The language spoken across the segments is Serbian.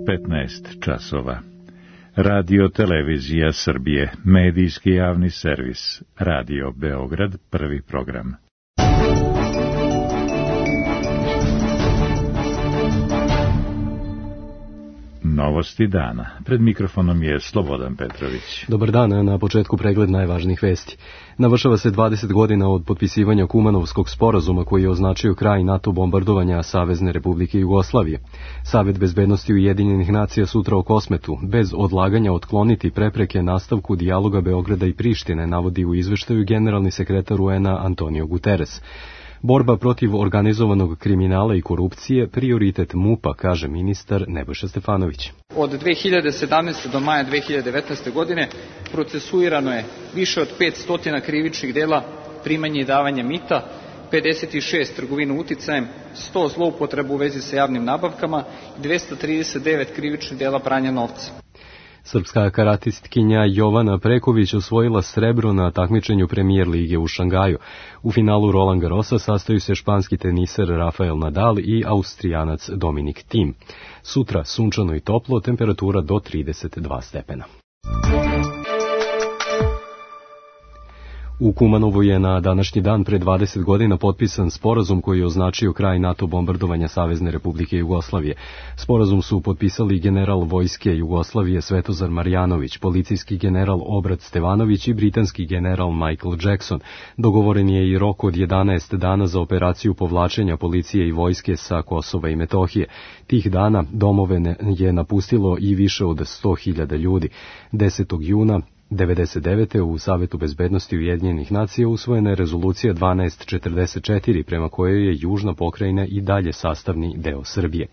15 časova. Radio Televizija Srbije, medijski javni servis, Radio Beograd, prvi program. Novosti dana. Pred mikrofonom je Slobodan Petrović. Dobar dan, na početku pregled najvažnijih vesti. Navršava se 20 godina od potpisivanja Kumanovskog sporazuma koji je označio kraj NATO bombardovanja Savezne Republike Jugoslavije. Savet bezbednosti Ujedinjenih nacija sutra o Kosmetu, bez odlaganja otkloniti prepreke nastavku dijaloga Beograda i Prištine, navodi u izveštaju generalni sekretar UN-a Antonio Guterres. Borba protiv organizovanog kriminala i korupcije prioritet MUP-a, kaže ministar Nebojša Stefanović. Od 2017. do maja 2019. godine procesuirano je više od 500 krivičnih dela primanja i davanja mita, 56 trgovina uticajem, 100 zloupotreba u vezi sa javnim nabavkama i 239 krivičnih dela pranja novca. Srpska karatistkinja Jovana Preković osvojila srebro na takmičenju Premier lige u Šangaju. U finalu Roland Garrosa sastaju se španski teniser Rafael Nadal i Austrijanac Dominik Thiem. Sutra sunčano i toplo, temperatura do 32 stepena. U Kumanovu je na današnji dan pre 20 godina potpisan sporazum koji je označio kraj NATO bombardovanja Savezne Republike Jugoslavije. Sporazum su potpisali general vojske Jugoslavije Svetozar Marjanović, policijski general Obrat Stevanović i britanski general Michael Jackson. Dogovoren je i rok od 11 dana za operaciju povlačenja policije i vojske sa Kosova i Metohije. Tih dana domove je napustilo i više od 100.000 ljudi. 10. juna 1999. u Savetu bezbednosti Ujedinjenih nacija usvojena je rezolucija 1244 prema kojoj je južna pokrajina i dalje sastavni deo Srbije.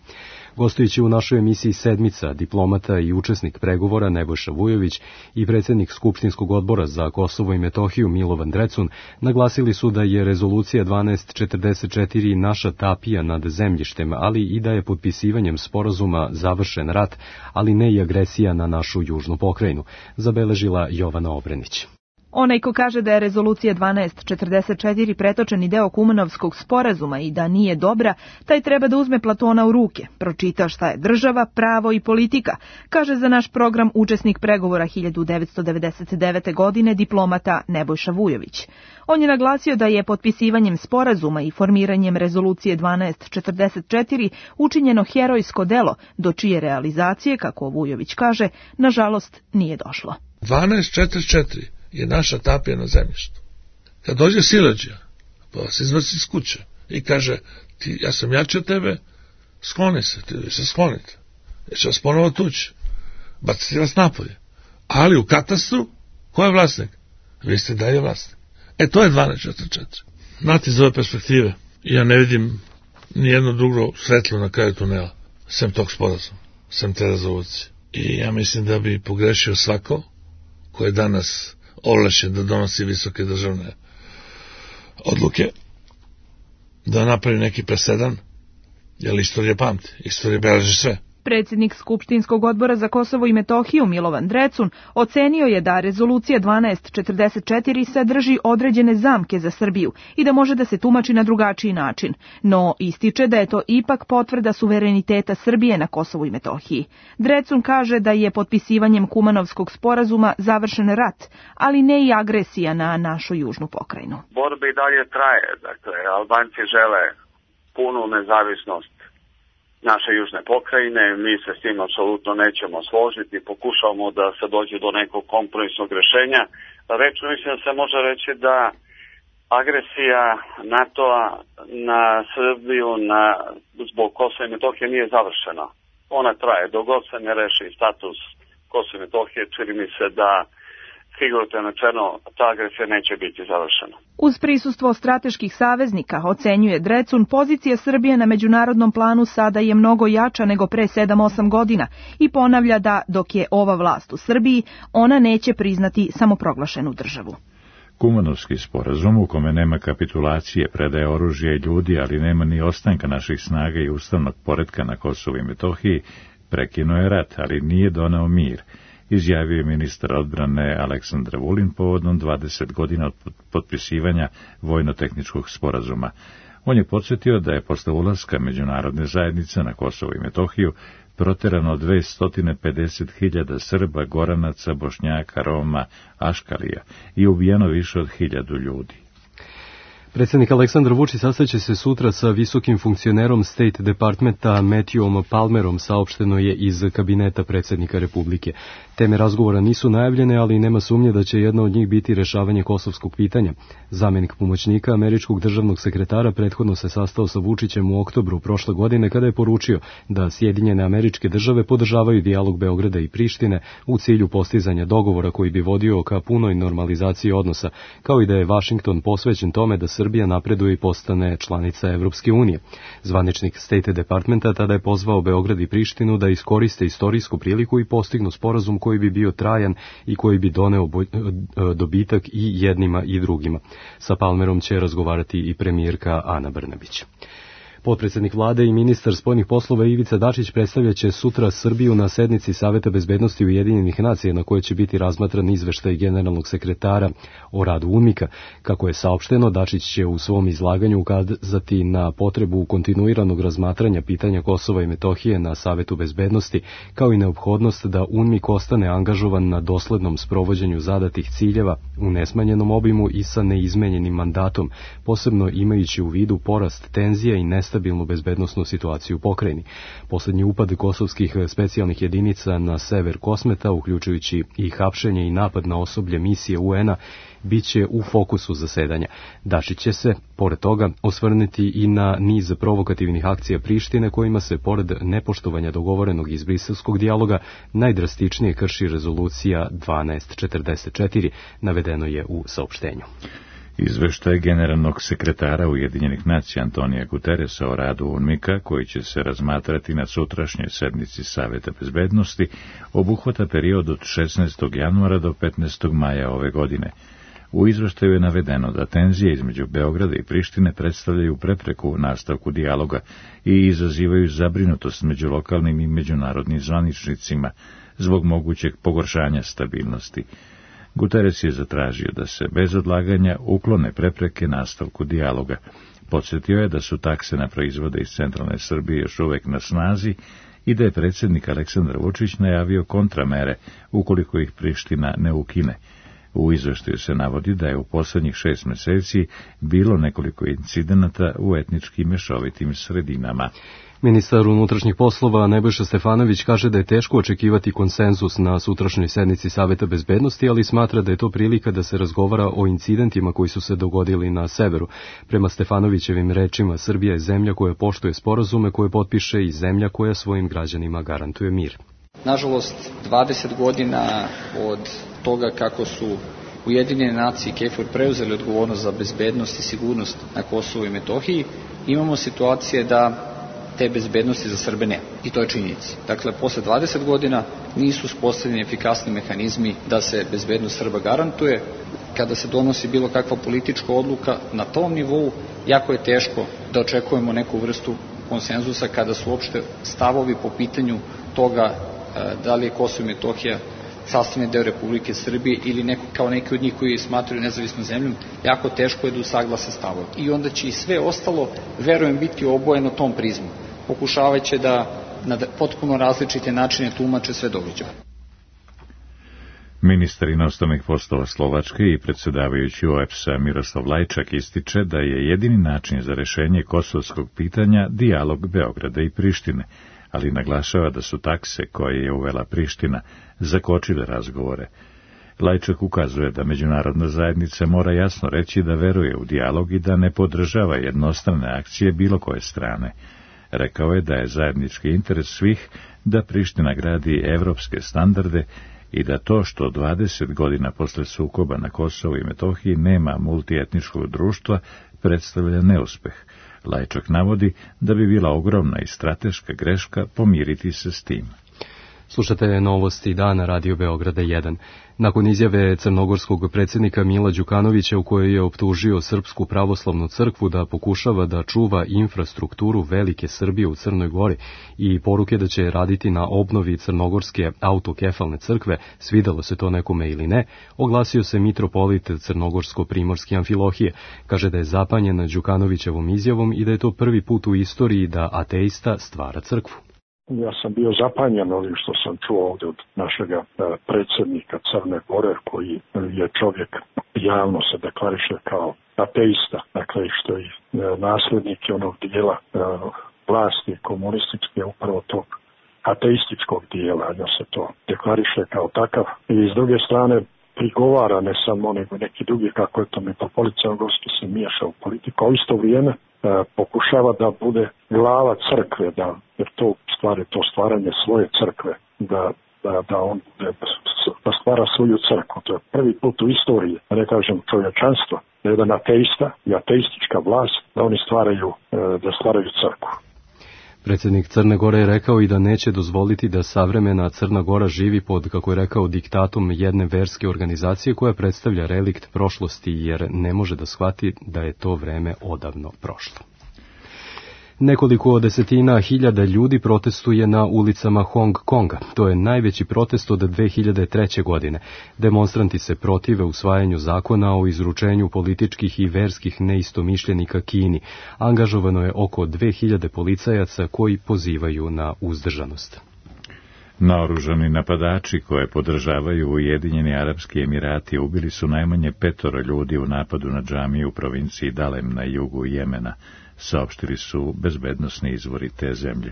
Gostujući u našoj emisiji Sedmica, diplomata i učesnik pregovora Nebojša Vujović i predsjednik Skupštinskog odbora za Kosovo i Metohiju Milovan Drecun naglasili su da je rezolucija 1244 naša tapija nad zemljištem, ali i da je potpisivanjem sporazuma završen rat, ali ne i agresija na našu južnu pokrajinu, zabeležila Jovana Obrenić. Onaj ko kaže da je rezolucija 1244 pretočeni deo Kumanovskog sporazuma i da nije dobra, taj treba da uzme Platona u ruke, pročita šta je država, pravo i politika, kaže za naš program učesnik pregovora 1999. godine diplomata Nebojša Vujović. On je naglasio da je potpisivanjem sporazuma i formiranjem rezolucije 1244 učinjeno herojsko delo, do čije realizacije, kako Vujović kaže, nažalost nije došlo. 1244 je naša tapija na zemljištu. Kad dođe siledžija, pa vas izvrsi iz kuće i kaže, ja sam jači od tebe, skloni se, ti se sklonite. Ja ću vas ponovo tući, baciti vas napolje. Ali u katastru, ko je vlasnik? Vi ste dalje vlasnik. To je 1244. Znate, iz ove perspektive, ja ne vidim nijedno drugo svetlo na kraju tunela, sem tog sporazuma, sem te rezolucije. I ja mislim da bi pogrešio svako ko je danas ovlašćen da donosi visoke državne odluke, da napravi neki presedan, jer istorija pamti, istorija beleži sve. Predsjednik Skupštinskog odbora za Kosovo i Metohiju Milovan Drecun ocenio je da rezolucija 1244 sadrži određene zamke za Srbiju i da može da se tumači na drugačiji način, no ističe da je to ipak potvrda suvereniteta Srbije na Kosovu i Metohiji. Drecun kaže da je potpisivanjem Kumanovskog sporazuma završen rat, ali ne i agresija na našu južnu pokrajinu. Borba i dalje traje, dakle, Albanci žele punu nezavisnost naše južne pokrajine, mi se s tim apsolutno nećemo složiti, pokušavamo da se dođe do nekog kompromisnog rješenja. Rečno mislim da se može reći da agresija NATO-a na Srbiju zbog Kosova i Metohije nije završena. Ona traje, dok god se ne reši status Kosova i Metohije, čini mi se da figurativno rečeno ta agresija neće biti završena. Uz prisustvo strateških saveznika, ocenjuje Drecun, pozicija Srbije na međunarodnom planu sada je mnogo jača nego pre 7-8 godina i ponavlja da dok je ova vlast u Srbiji, ona neće priznati samoproglašenu državu. Kumanovski sporazum u kome nema kapitulacije, predaje oružja i ljudi, ali nema ni ostanka naših snaga i ustavnog poretka na Kosovu i Metohiji, prekinuo je rat, ali nije doneo mir, izjavio je ministar odbrane Aleksandar Vulin povodom 20 godina od potpisivanja vojno-tehničkog sporazuma. On je podsjetio da je posle ulaska međunarodne zajednice na Kosovo i Metohiju proterano 250.000 Srba, Goranaca, Bošnjaka, Roma, Aškalija i ubijeno više od 1.000 ljudi. Predsjednik Aleksandar Vučić sastaće se sutra sa visokim funkcionerom State Departmenta Matthewom Palmerom, saopšteno je iz kabineta predsjednika Republike. Teme razgovora nisu najavljene, ali nema sumnje da će jedna od njih biti rešavanje kosovskog pitanja. Zamjenik pomoćnika američkog državnog sekretara prethodno se sastao sa Vučićem u oktobru prošle godine kada je poručio da Sjedinjene Američke Države podržavaju dijalog Beograda i Prištine u cilju postizanja dogovora koji bi vodio ka punoj normalizaciji odnosa, kao i da je Vašington posvećen tome da Srbija napreduje i postane članica Evropske unije. Zvaničnik State Departmenta tada je pozvao Beograd i Prištinu da iskoriste istorijsku priliku i postignu sporazum koji bi bio trajan i koji bi doneo dobitak i jednima i drugima. Sa Palmerom će razgovarati i premijerka Ana Brnabić. Potpredsjednik vlade i ministar spoljnih poslova Ivica Dačić predstavljaće sutra Srbiju na sednici Saveta bezbednosti Ujedinjenih nacija na kojoj će biti razmatran izveštaj generalnog sekretara o radu UNMIK-a. Kako je saopšteno, Dačić će u svom izlaganju ukazati na potrebu kontinuiranog razmatranja pitanja Kosova i Metohije na Savetu bezbednosti, kao i neophodnost da UNMIK ostane angažovan na doslednom sprovođenju zadatih ciljeva u nesmanjenom obimu i sa neizmenjenim mandatom, posebno imajući u vidu porast tenzija i nestabilnu bezbednosnu situaciju u pokrajini. Poslednji upad kosovskih specijalnih jedinica na sever Kosmeta, uključujući i hapšenje i napad na osoblje misije UN-a, biće u fokusu zasedanja. Dačić će se, pored toga, osvrnuti i na niz provokativnih akcija Prištine kojima se, pored nepoštovanja dogovorenog iz briselskog dijaloga, najdrastičnije krši rezolucija 1244, navedeno je u saopštenju. Izveštaj generalnog sekretara Ujedinjenih nacija Antonija Guterresa o radu UNMIK-a, koji će se razmatrati na sutrašnjoj sednici Saveta bezbednosti, obuhvata period od 16. januara do 15. maja ove godine. U izveštaju je navedeno da tenzije između Beograda i Prištine predstavljaju prepreku u nastavku dijaloga i izazivaju zabrinutost među lokalnim i međunarodnim zvaničnicima zbog mogućeg pogoršanja stabilnosti. Guterres je zatražio da se bez odlaganja uklone prepreke nastavku dijaloga. Podsjetio je da su takse na proizvode iz centralne Srbije još uvek na snazi i da je predsjednik Aleksandar Vučić najavio kontramere ukoliko ih Priština ne ukine. U izveštaju se navodi da je u poslednjih 6 meseci bilo nekoliko incidenata u etnički mešovitim sredinama. Ministar unutrašnjih poslova Nebojša Stefanović kaže da je teško očekivati konsenzus na sutrašnjoj sednici Saveta bezbednosti, ali smatra da je to prilika da se razgovara o incidentima koji su se dogodili na severu. Prema Stefanovićevim rečima, Srbija je zemlja koja poštuje sporazume koje potpiše i zemlja koja svojim građanima garantuje mir. Nažalost, 20 godina od toga kako su Ujedinjene nacije i KFOR preuzeli odgovornost za bezbednost i sigurnost na Kosovu i Metohiji, imamo situacije da te bezbednosti za Srbe nema. I to je činjenica. Dakle, posle 20 godina nisu uspostavljeni efikasni mehanizmi da se bezbednost Srba garantuje. Kada se donosi bilo kakva politička odluka na tom nivou, jako je teško da očekujemo neku vrstu konsenzusa kada su uopšte stavovi po pitanju toga da li je Kosovo i Metohija sastavni deo Republike Srbije ili neko, kao neki od njih koji smatraju nezavisnom zemljom, jako teško je da usaglase stavove. I onda će i sve ostalo, verujem, biti obojeno tom prizmu. Pokušavajući da na potpuno različite načine tumače sve događaje. Ministar inostranih poslova Slovačke i predsjedavajući OEBS-a Miroslav Lajčak ističe da je jedini način za rešenje kosovskog pitanja dijalog Beograda i Prištine, ali naglašava da su takse koje je uvela Priština zakočile razgovore. Lajčak ukazuje da međunarodna zajednica mora jasno reći da veruje u dijalog i da ne podržava jednostrane akcije bilo koje strane. Rekao je da je zajednički interes svih da Priština gradi evropske standarde i da to što 20 godina posle sukoba na Kosovu i Metohiji nema multietničkog društva predstavlja neuspeh. Lajčak navodi da bi bila ogromna i strateška greška pomiriti se s tim. Slušate novosti dana Radio Beograda 1. Nakon izjave crnogorskog predsjednika Mila Đukanovića u kojoj je optužio Srpsku pravoslavnu crkvu da pokušava da čuva infrastrukturu velike Srbije u Crnoj Gori i poruke da će raditi na obnovi crnogorske autokefalne crkve, svidelo se to nekome ili ne, oglasio se mitropolit crnogorsko-primorske Amfilohije. Kaže da je zapanjen Đukanovićevom izjavom i da je to prvi put u istoriji da ateista stvara crkvu. Ja sam bio zapanjen ovim što sam čuo ovdje od našega predsjednika Crne Gore, koji je čovjek javno se deklariše kao ateista, dakle što je nasljednik onog dijela vlasti komunističke, upravo tog ateističkog dijela, da se to deklariše kao takav. I s druge strane prigovara ne samo nego neki drugi, kako je to mitropolit crnogorski se miješa u politiku, a u isto vrijeme pokušava da bude glava crkve, jer to u stvari to stvaranje svoje crkve, da on da stvara svoju crkvu. To je prvi put u istoriji, da ne kažem čovječanstva, da jedan ateista i ateistička vlast, da oni stvaraju crkvu. Predsjednik Crne Gore je rekao i da neće dozvoliti da savremena Crna Gora živi pod, kako je rekao, diktatom jedne verske organizacije koja predstavlja relikt prošlosti, jer ne može da shvati da je to vreme odavno prošlo. Nekoliko desetina hiljada ljudi protestuje na ulicama Hong Konga. To je najveći protest od 2003. godine. Demonstranti se protive usvajanju zakona o izručenju političkih i verskih neistomišljenika Kini. Angažovano je oko 2000 policajaca koji pozivaju na uzdržanost. Naoružani napadači koje podržavaju Ujedinjeni Arapski Emirati ubili su najmanje 5 ljudi u napadu na džamiju u provinciji Dalem na jugu Jemena, saopštili su bezbednosni izvori te zemlje.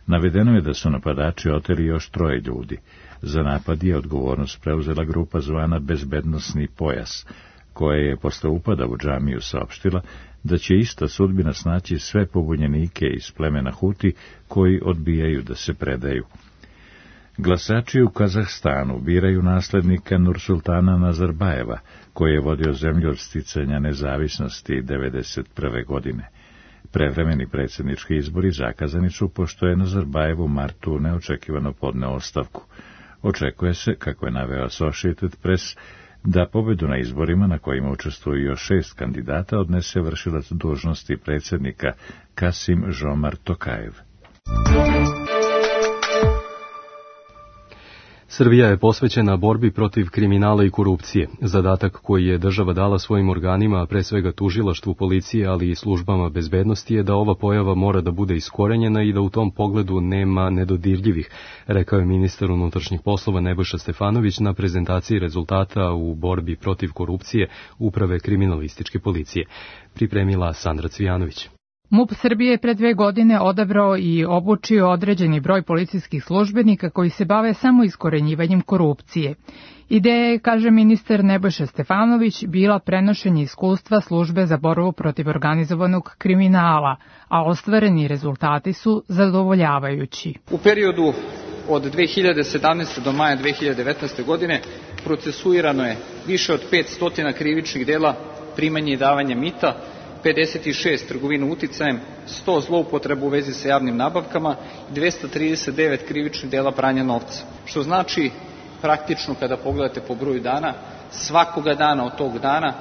Navedeno je da su napadači oteli još 3 ljudi. Za napad je odgovornost preuzela grupa zvana Bezbednosni pojas, koja je posle upada u džamiju saopštila da će ista sudbina snaći sve pobunjenike iz plemena Huti koji odbijaju da se predaju. Glasači u Kazahstanu biraju naslednika Nursultana Nazarbajeva, koji je vodio zemlju od sticanja nezavisnosti 1991. godine. Prevremeni predsjednički izbori zakazani su pošto je Nazarbajev u martu neočekivano podneo ostavku. Očekuje se, kako je naveo Associated Press, da pobedu na izborima na kojima učestvuju još 6 kandidata odnese vršilac dužnosti predsjednika Kasim Žomart Tokajev. Srbija je posvećena borbi protiv kriminala i korupcije. Zadatak koji je država dala svojim organima, a pre svega tužilaštvu, policije, ali i službama bezbednosti, je da ova pojava mora da bude iskorenjena i da u tom pogledu nema nedodirljivih, rekao je ministar unutrašnjih poslova Nebojša Stefanović na prezentaciji rezultata u borbi protiv korupcije Uprave kriminalističke policije. Pripremila Sandra Cvijanović. MUP Srbije je pre 2 godine odabrao i obučio određeni broj policijskih službenika koji se bave samo iskorenjivanjem korupcije. Ideja je, kaže ministar Nebojša Stefanović, bila prenošenje iskustva službe za borbu protiv organizovanog kriminala, a ostvareni rezultati su zadovoljavajući. U periodu od 2017. do maja 2019. godine procesuirano je više od 500 krivičnih dela primanja i davanja mita, 56 trgovina uticajem, 100 zloupotreba u vezi sa javnim nabavkama i 239 krivičnih dela pranja novca. Što znači, praktično kada pogledate po broju dana, svakoga dana od tog dana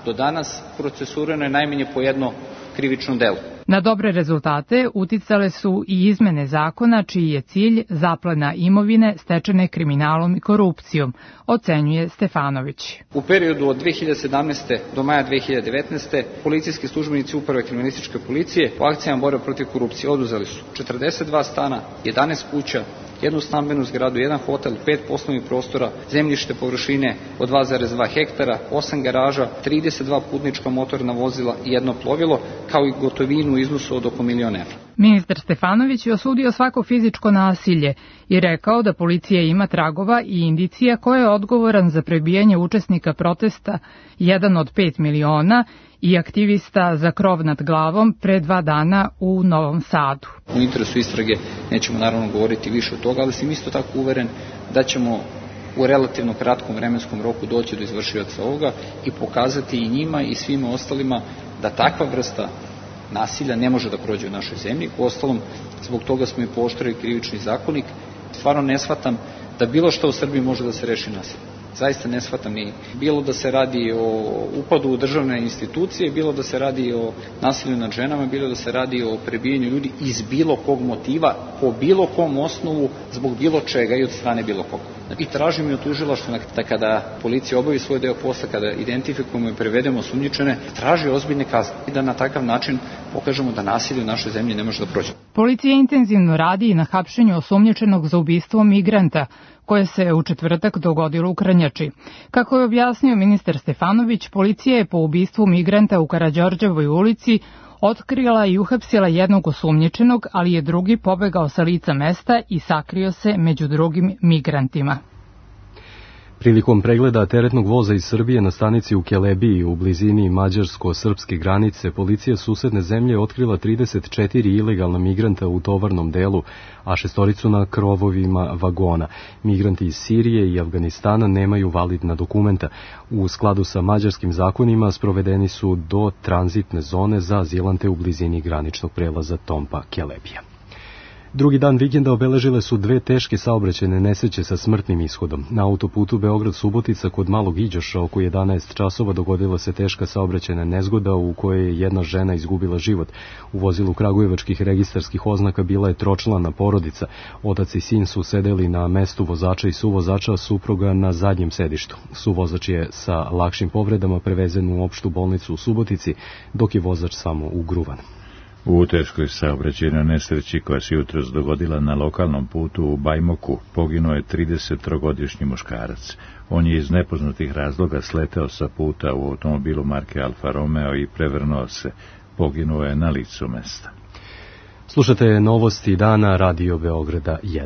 do danas procesuirano je najmanje po jedno krivično delo. Na dobre rezultate uticale su i izmene zakona čiji je cilj zaplena imovine stečene kriminalom i korupcijom, ocenjuje Stefanović. U periodu od 2017. do maja 2019. policijski službenici Uprave kriminalističke policije u akcijama borbe protiv korupcije oduzeli su 42 stana, 11 kuća, 1 stambenu zgradu, 1 hotel, 5 poslovnih prostora, zemljište površine od 2,2 hektara, 8 garaža, 32 putnička motorna vozila i 1 plovilo, kao i gotovinu u iznosu od oko $1.000.000 evra. Ministar Stefanović je osudio svako fizičko nasilje i rekao da policija ima tragova i indicija ko je odgovoran za prebijanje učesnika protesta, jedan od 5 miliona, i aktivista za krov nad glavom pre 2 dana u Novom Sadu. U interesu istrage nećemo naravno govoriti više od toga, ali sam isto tako uveren da ćemo u relativno kratkom vremenskom roku doći do izvršioca ovoga i pokazati i njima i svima ostalima da takva vrsta nasilja ne može da prođe u našoj zemlji. Uostalom, zbog toga smo i pooštrili krivični zakonik Stvarno ne shvatam da bilo što u Srbiji može da se reši nasiljem. Zaista ne shvatam ni bilo da se radi o upadu u državne institucije, bilo da se radi o nasilju nad ženama, bilo da se radi o prebijanju ljudi iz bilo kog motiva, po bilo kom osnovu, zbog bilo čega i od strane bilo koga. I tražimo i od tužilaštva da kada policija obavi svoj deo posla, kada identifikujemo i prevedemo osumnjičene, traži ozbiljne kazne i da na takav način pokažemo da nasilje u našoj zemlji ne može da prođe. Policija intenzivno radi i na hapšenju osumnjičenog za ubistvo migranta, koje se u četvrtak dogodilo u Krnjači. Kako je objasnio ministar Stefanović, policija je po ubistvu migranta u Karađorđevoj ulici otkrila i uhapsila jednog osumnjičenog, ali je drugi pobegao sa lica mesta i sakrio se među drugim migrantima. Prilikom pregleda teretnog voza iz Srbije na stanici u Kelebiji u blizini mađarsko-srpske granice, policija susedne zemlje otkrila 34 ilegalna migranta u tovarnom delu, a 6 na krovovima vagona. Migranti iz Sirije i Afganistana nemaju validna dokumenta. U skladu sa mađarskim zakonima sprovedeni su do tranzitne zone za azilante u blizini graničnog prelaza Tompa-Kelebija. Drugi dan vikenda obeležile su 2 teške saobraćajne nesreće sa smrtnim ishodom. Na autoputu Beograd-Subotica kod Malog Iđoša oko 11 časova dogodila se teška saobraćajna nezgoda u kojoj je jedna žena izgubila život. U vozilu kragujevačkih registarskih oznaka bila je tročlana porodica. Otac i sin su sedeli na mestu vozača i suvozača, supruga na zadnjem sedištu. Suvozač je sa lakšim povredama prevezen u opštu bolnicu u Subotici, dok je vozač samo ugruvan. U teškoj saobraćajnoj nesreći koja se jutros dogodila na lokalnom putu u Bajmoku poginuo je 33-godišnji muškarac. On je iz nepoznatih razloga sleteo sa puta u automobilu marke Alfa Romeo i prevrnuo se. Poginuo je na licu mesta. Slušate novosti dana Radio Beograda 1.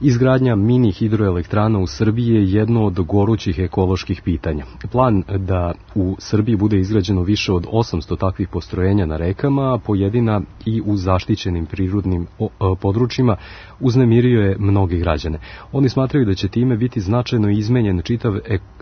Izgradnja mini hidroelektrana u Srbiji je jedno od gorućih ekoloških pitanja. Plan da u Srbiji bude izgrađeno više od 800 takvih postrojenja na rekama, pojedina i u zaštićenim prirodnim područjima, uznemirio je mnoge građane. Oni smatraju da će time biti značajno izmenjen čitav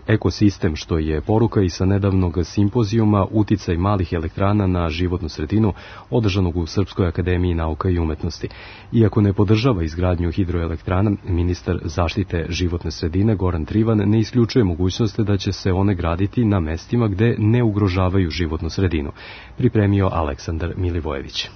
ekosistem, što je poruka i sa nedavnog simpozijuma Uticaj malih elektrana na životnu sredinu, održanog u Srpskoj akademiji nauka i umetnosti. Iako ne podržava izgradnju hidroelektrana, ministar zaštite životne sredine Goran Trivan ne isključuje mogućnost da će se one graditi na mestima gde ne ugrožavaju životnu sredinu. Pripremio Aleksandar Milivojević.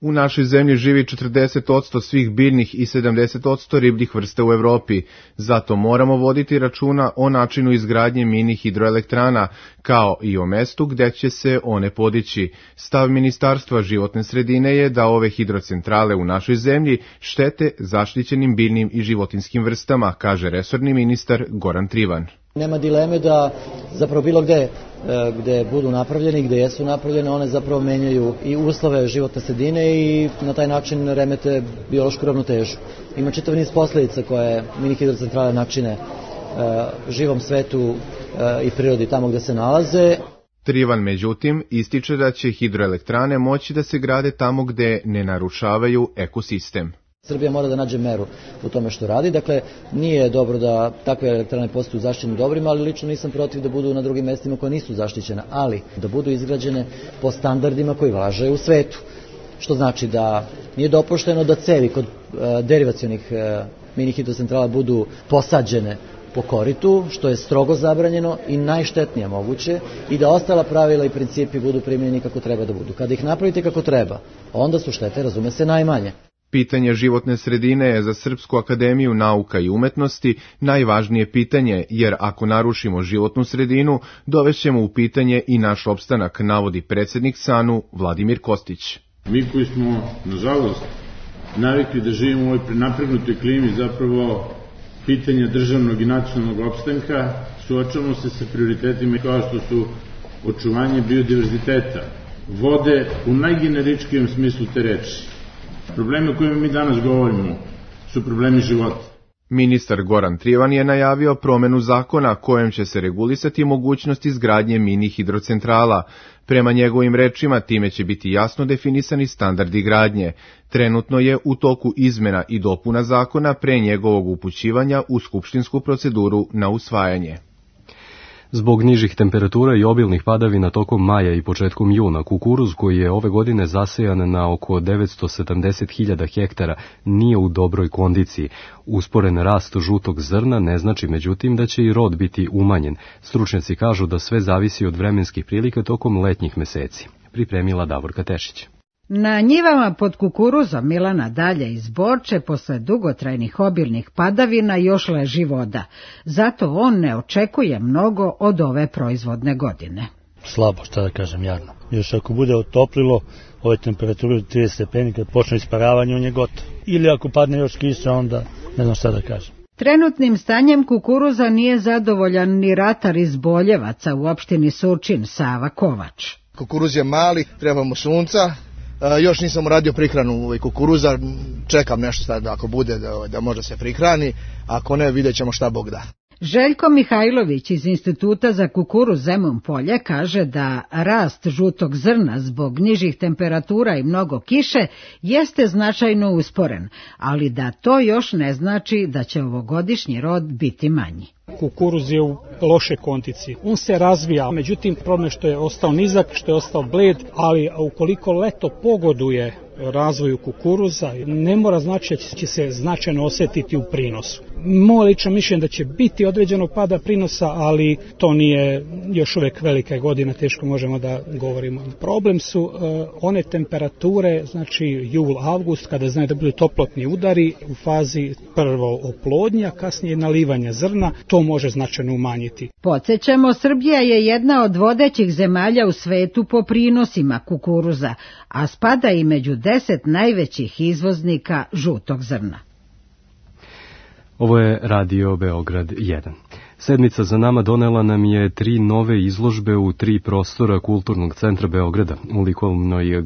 U našoj zemlji živi 40% svih biljnih i 70% ribljih vrsta u Evropi. Zato moramo voditi računa o načinu izgradnje mini hidroelektrana, kao i o mestu gde će se one podići. Stav Ministarstva životne sredine je da ove hidrocentrale u našoj zemlji štete zaštićenim biljnim i životinskim vrstama, kaže resorni ministar Goran Trivan. Nema dileme da zapravo bilo gde budu napravljeni, gde jesu napravljene, one zapravo menjaju i uslove životne sredine i na taj način remete biološku ravnotežu. Ima čitav niz posledica koje mini hidrocentrale načine živom svetu i prirodi tamo gde se nalaze. Trivan, međutim, ističe da će hidroelektrane moći da se grade tamo gde ne narušavaju ekosistem. Srbija mora da nađe meru u tome što radi, dakle nije dobro da takve elektrane postaju zaštićenim dobrima, ali lično nisam protiv da budu na drugim mestima koja nisu zaštićena, ali da budu izgrađene po standardima koji važe u svetu. Što znači da nije dopušteno da cevi kod derivacionih mini hidrocentrala budu posađene po koritu, što je strogo zabranjeno i najštetnije moguće, i da ostala pravila i principi budu primjenjeni kako treba da budu. Kada ih napravite kako treba, onda su štete, razume se, najmanje. Pitanje životne sredine je za Srpsku akademiju nauka i umetnosti najvažnije pitanje, jer ako narušimo životnu sredinu, dovešćemo u pitanje i naš opstanak, navodi predsjednik SANU Vladimir Kostić. Mi koji smo, nažalost, navikli da živimo u ovoj prenapregnutoj klimi, zapravo pitanja državnog i nacionalnog opstanka, suočavamo se sa prioritetima kao što su očuvanje biodiverziteta, vode u najgeneričkijem smislu te reči. Problemi o kojima mi danas govorimo su problemi života. Ministar Goran Trivan je najavio promenu zakona kojem će se regulisati mogućnost izgradnje mini hidrocentrala. Prema njegovim rečima time će biti jasno definisani standardi gradnje. Trenutno je u toku izmena i dopuna zakona pre njegovog upućivanja u skupštinsku proceduru na usvajanje. Zbog nižih temperatura i obilnih padavina tokom maja i početkom juna, kukuruz koji je ove godine zasejan na oko 970.000 hektara nije u dobroj kondiciji. Usporen rast žutog zrna ne znači međutim da će i rod biti umanjen. Stručnjaci kažu da sve zavisi od vremenskih prilika tokom letnjih meseci. Pripremila Davorka Tešić. Na njivama pod kukuruzom Milana Dalja iz Borče posle dugotrajnih obilnih padavina još leži voda. Zato on ne očekuje mnogo od ove proizvodne godine. Slabo, šta da kažem, jadno. Još ako bude otoplilo, ove temperature 30 stepeni, kad počne isparavanje, on je gotov. Ili ako padne još kiša, onda ne znam šta da kažem. Trenutnim stanjem kukuruza nije zadovoljan ni ratar iz Boljevaca u opštini Surčin, Sava Kovač. Kukuruz je mali, treba mu sunca. Još nisam uradio prihranu kukuruza, čekam nešto sad ako bude da može se prihrani, ako ne vidjet ćemo šta Bog da. Željko Mihajlović iz Instituta za kukuruz Zemun Polje kaže da rast žutog zrna zbog nižih temperatura i mnogo kiše jeste značajno usporen, ali da to još ne znači da će ovogodišnji rod biti manji. Kukuruz je u loše kondiciji. On se razvija, međutim problem što je ostao nizak, što je ostao bled, ali ukoliko leto pogoduje razvoju kukuruza, ne mora znači da će se značajno osjetiti u prinosu. Moje lično mišljenje da će biti određenog pada prinosa, ali to nije još uvijek velika godina, teško možemo da govorimo. Problem su one temperature, znači jul, avgust, kada znaju da budu toplotni udari u fazi prvo oplodnja, kasnije nalivanja zrna, to može značajno umanjiti. Podsjećamo, Srbija je jedna od vodećih zemalja u svetu po prinosima kukuruza, a spada i među 10 najvećih izvoznika žutog zrna. Ovo je Radio Beograd 1. Sedmica za nama donela nam je 3 nove izložbe u 3 prostora Kulturnog centra Beograda, u likovnoj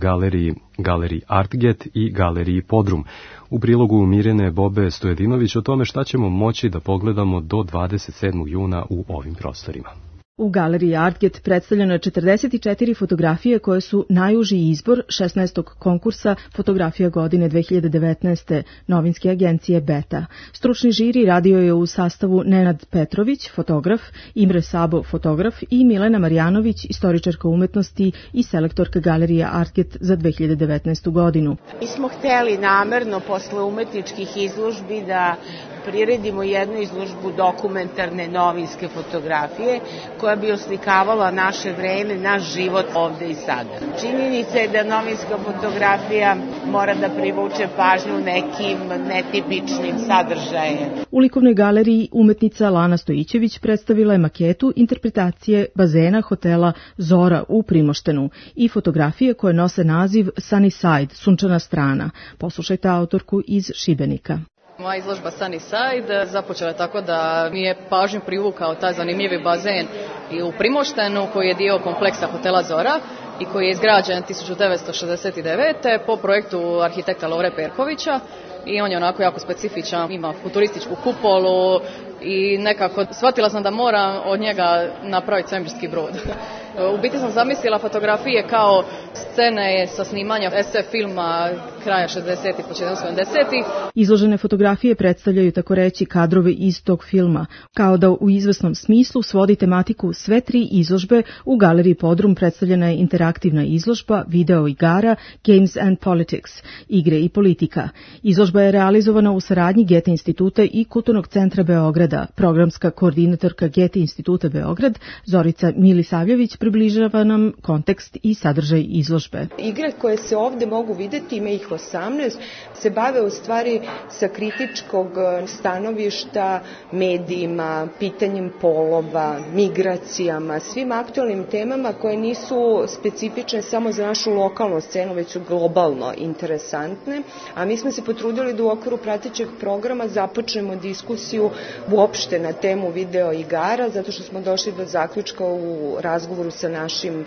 galeriji Artget i galeriji Podrum. U prilogu Mirjane Bobe Stojedinović o tome šta ćemo moći da pogledamo do 27. juna u ovim prostorima. U galeriji Artget predstavljeno je 44 fotografije koje su najuži izbor 16. konkursa Fotografija godine 2019. novinske agencije Beta. Stručni žiri radio je u sastavu Nenad Petrović, fotograf, Imre Sabo, fotograf i Milena Marjanović, istoričarka umetnosti i selektorka galerije Artget za 2019. godinu. Mi smo hteli namerno posle umetničkih izložbi da priredimo jednu izložbu dokumentarne novinske fotografije koja bi oslikavala naše vreme, naš život ovde i sada. Činjenica je da novinska fotografija mora da privuče pažnju nekim netipičnim sadržajem. U likovnoj galeriji umetnica Lana Stojićević predstavila je maketu interpretacije bazena hotela Zora u Primoštenu i fotografije koje nose naziv Sunny Side, sunčana strana. Poslušajte autorku iz Šibenika. Moja izložba Sunny Side započela je tako da mi je pažnju privukao taj zanimljivi bazen i u Primoštenu koji je dio kompleksa hotela Zora i koji je izgrađen 1969. po projektu arhitekta Lovre Perkovića i on je onako jako specifičan, ima futurističku kupolu i nekako shvatila sam da moram od njega napraviti svemirski brod. U biti sam zamislila fotografije kao scene sa snimanja SF filma kraja 60-ih, početka 70-ih. Izložene fotografije predstavljaju tako reći kadrove iz tog filma, kao da u izvesnom smislu svodi tematiku sve 3 izložbe. U galeriji Podrum predstavljena je interaktivna izložba, video igara, Games and Politics, igre i politika. Izložba je realizovana u saradnji Goethe instituta i Kulturnog centra Beograda. Programska koordinatorka Goethe instituta Beograd, Zorica Milisavljević, približava nam kontekst i sadržaj izložbe. Igre koje se ovde mogu videti, ima ih 18, se bave u stvari sa kritičkog stanovišta medijima, pitanjem polova, migracijama, svim aktualnim temama koje nisu specifične samo za našu lokalnu scenu, već su globalno interesantne, a mi smo se potrudili da u okviru pratećeg programa započnemo diskusiju uopšte na temu video igara, zato što smo došli do zaključka u razgovoru sa našim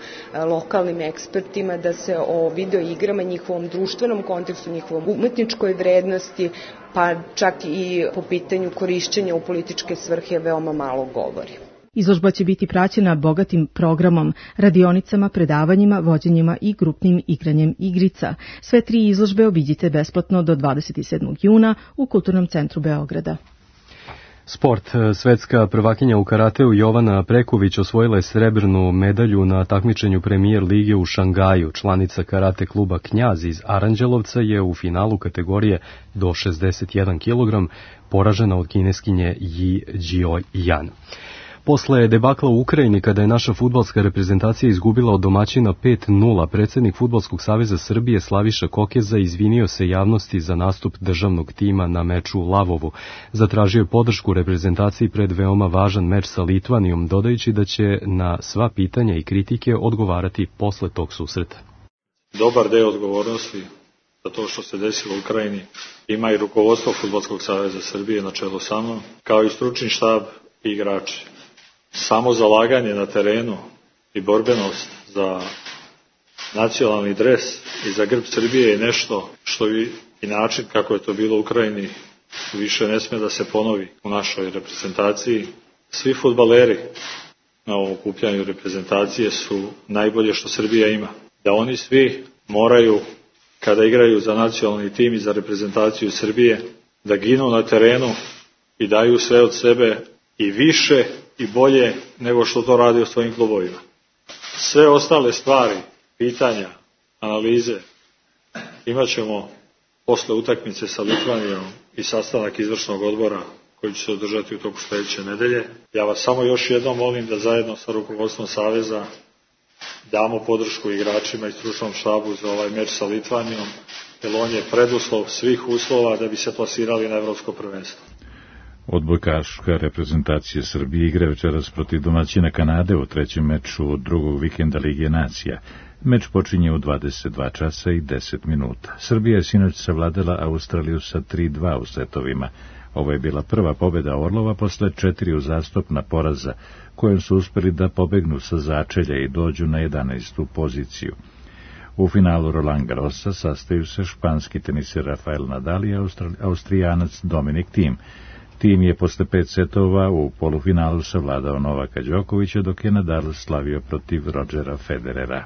lokalnim ekspertima da se o video igrama, njihovom društvenom kontekstu, njihovom umetničkoj vrednosti, pa čak i po pitanju korišćenja u političke svrhe veoma malo govori. Izložba će biti praćena bogatim programom, radionicama, predavanjima, vođenjima i grupnim igranjem igrica. Sve 3 izložbe obiđite besplatno do 27. juna u Kulturnom centru Beograda. Sport. Svetska prvakinja u karateu Jovana Preković osvojila je srebrnu medalju na takmičenju Premier lige u Šangaju. Članica karate kluba Knjaz iz Aranđelovca je u finalu kategorije do 61 kg poražena od kineskinje Yi Jiao-yan. Posle debakla u Ukrajini, kada je naša fudbalska reprezentacija izgubila od domaćina 5-0, predsjednik Fudbalskog saveza Srbije Slaviša Kokeza izvinio se javnosti za nastup državnog tima na meču u Lavovu. Zatražio je podršku reprezentaciji pred veoma važan meč sa Litvanijom, dodajući da će na sva pitanja i kritike odgovarati posle tog susreta. Dobar deo odgovornosti za to što se desilo u Ukrajini ima i rukovodstvo Fudbalskog saveza Srbije na čelu sa mnom, kao i stručni štab i igrači. Samo zalaganje na terenu i borbenost za nacionalni dres i za grb Srbije je nešto što i način kako je to bilo u Ukrajini više ne sme da se ponovi u našoj reprezentaciji. Svi fudbaleri na ovom okupljanju reprezentacije su najbolje što Srbija ima. Da oni svi moraju, kada igraju za nacionalni tim i za reprezentaciju Srbije, da ginu na terenu i daju sve od sebe i više i bolje nego što to radi u svojim klubovima. Sve ostale stvari, pitanja, analize imat ćemo posle utakmice sa Litvanijom i sastanak izvršnog odbora koji će se održati u toku sledeće nedelje. Ja vas samo još jednom molim da zajedno sa rukovodstvom Saveza damo podršku igračima i stručnom štabu za ovaj meč sa Litvanijom, jer on je preduslov svih uslova da bi se plasirali na evropsko prvenstvo. Odbojkaška reprezentacija Srbije igra večeras protiv domaćina Kanade u trećem meču drugog vikenda Lige nacija. Meč počinje u 22 časa i 10 minuta. Srbija je sinoć savladala Australiju sa 3-2 u setovima. Ovo je bila prva pobjeda Orlova posle 4 uzastopna poraza, kojom su uspeli da pobegnu sa začelja i dođu na 11. poziciju. U finalu Roland Garrosa sastaju se španski teniser Rafael Nadal i Austrijanac Dominic Thiem. Tim je posle 5 setova u polufinalu savladao Novaka Đokovića, dok je Nadal slavio protiv Rodgera Federera.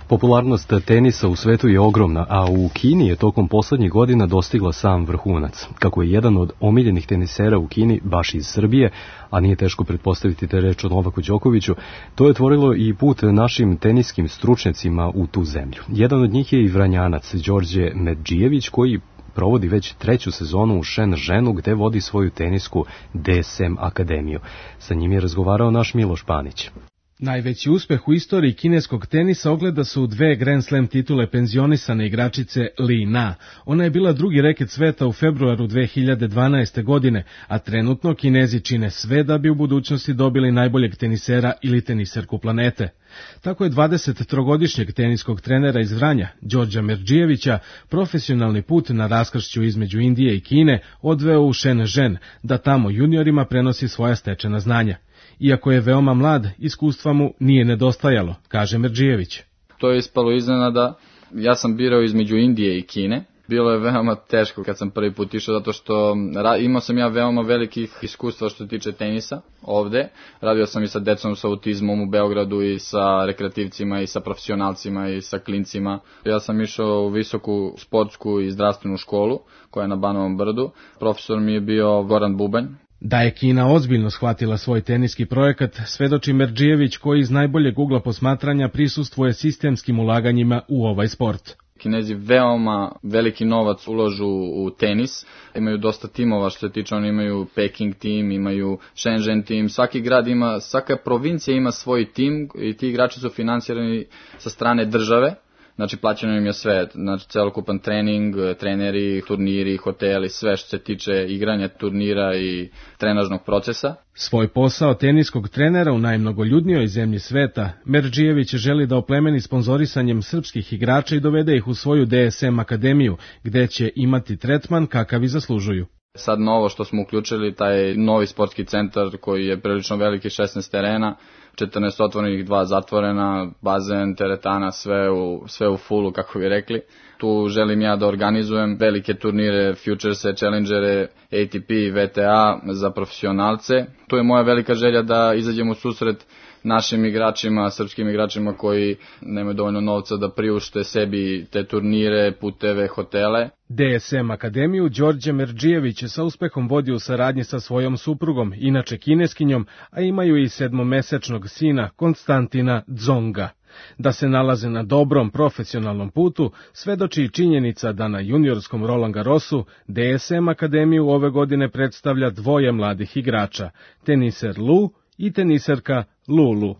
Popularnost tenisa u svetu je ogromna, a u Kini je tokom poslednjih godina dostigla sam vrhunac. Kako je jedan od omiljenih tenisera u Kini baš iz Srbije, a nije teško pretpostaviti te reč o Novaku Đokoviću, to je otvorilo i put našim teniskim stručnjacima u tu zemlju. Jedan od njih je i Vranjanac Đorđe Medžijević, koji provodi već 3. sezonu u Shenzhenu, gde vodi svoju tenisku DSM akademiju. Sa njim je razgovarao naš Miloš Panić. Najveći uspeh u istoriji kineskog tenisa ogleda se u 2 Grand Slam titule penzionisane igračice Li Na. Ona je bila drugi reket sveta u februaru 2012. godine, a trenutno Kinezi čine sve da bi u budućnosti dobili najboljeg tenisera ili teniserku planete. Tako je 23-godišnjeg teniskog trenera iz Vranja, Đorđa Merdžijevića, profesionalni put na raskršću između Indije i Kine odveo u Shenzhen, da tamo juniorima prenosi svoja stečena znanja. Iako je veoma mlad, iskustva mu nije nedostajalo, kaže Merdžijević. To je ispalo iznenada. Ja sam birao između Indije i Kine. Bilo je veoma teško kad sam prvi put išao, zato što imao sam ja veoma velikih iskustva što se tiče tenisa ovde. Radio sam i sa decom sa autizmom u Beogradu i sa rekreativcima i sa profesionalcima i sa klincima. Ja sam išao u visoku sportsku i zdravstvenu školu koja je na Banovom brdu. Profesor mi je bio Goran Bubanj. Da je Kina ozbiljno shvatila svoj teniski projekat, svedoči Merdžijević, koji iz najboljeg ugla posmatranja prisustvuje sistemskim ulaganjima u ovaj sport. Kinezi veoma veliki novac uložu u tenis, imaju dosta timova što se tiče, oni imaju Peking tim, imaju Shenzhen tim, svaki grad ima, svaka provincija ima svoj tim i ti igrači su finansirani sa strane države. Znači plaćeno im je sve, znači celokupan trening, treneri, turniri, hoteli, sve što se tiče igranja turnira i trenažnog procesa. Svoj posao teniskog trenera u najmnogoljudnijoj zemlji sveta, Merdžijević želi da oplemeni sponzorisanjem srpskih igrača i dovede ih u svoju DSM akademiju, gde će imati tretman kakav i zaslužuju. Sad novo što smo uključili, taj novi sportski centar koji je prilično veliki, 16 terena, 14 otvorenih, 2 zatvorena, bazen, teretana, sve u fullu, kako bi rekli. Tu želim ja da organizujem velike turnire, Futurese, Challengere, ATP, VTA za profesionalce. Tu je moja velika želja da izađem u susret našim igračima, srpskim igračima koji nemaju dovoljno novca da priušte sebi te turnire, puteve, hotele. DSM Akademiju Đorđe Merdžijević sa uspehom vodi u saradnji sa svojom suprugom, inače kineskinjom, a imaju i 7-mesečnog sina Konstantina Dzonga. Da se nalaze na dobrom profesionalnom putu svedoči i činjenica da na juniorskom Roland Garrosu DSM Akademiju ove godine predstavlja dvoje mladih igrača, teniser Lu i teniserka Lulu.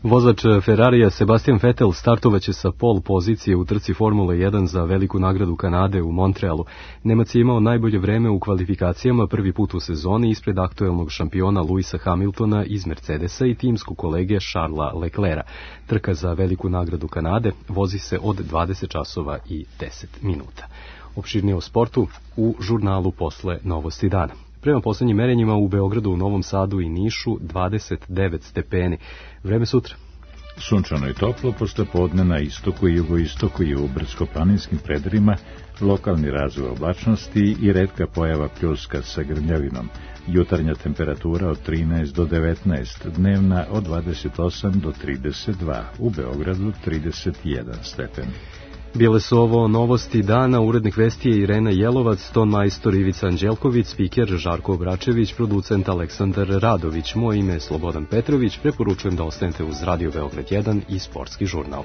Vozač Ferrarija Sebastian Vettel startovaće sa pol pozicije u trci Formule 1 za veliku nagradu Kanade u Montrealu. Nemac je imao najbolje vreme u kvalifikacijama prvi put u sezoni ispred aktuelnog šampiona Luisa Hamiltona iz Mercedesa i timsku kolege Charlesa Leclerca. Trka za veliku nagradu Kanade vozi se od 20 časova i 10 minuta. Opširnije o sportu u žurnalu posle Novosti dana. Prema poslednjim merenjima u Beogradu, u Novom Sadu i Nišu 29 stepeni. Vreme sutra. Sunčano i toplo, posle podne na istoku i jugoistoku i u brdsko-planinskim predjelima, lokalni razvoj oblačnosti i retka pojava pljuska sa grmljavinom. Jutarnja temperatura od 13 do 19, dnevna od 28 do 32, u Beogradu 31 stepen. Bile su ovo novosti dana, urednik vesti je Irena Jelovac, ton majstor Ivica Anđelković, spiker Žarko Obračević, producent Aleksandar Radović. Moje ime je Slobodan Petrović, preporučujem da ostanete uz Radio Beograd 1 i Sportski žurnal.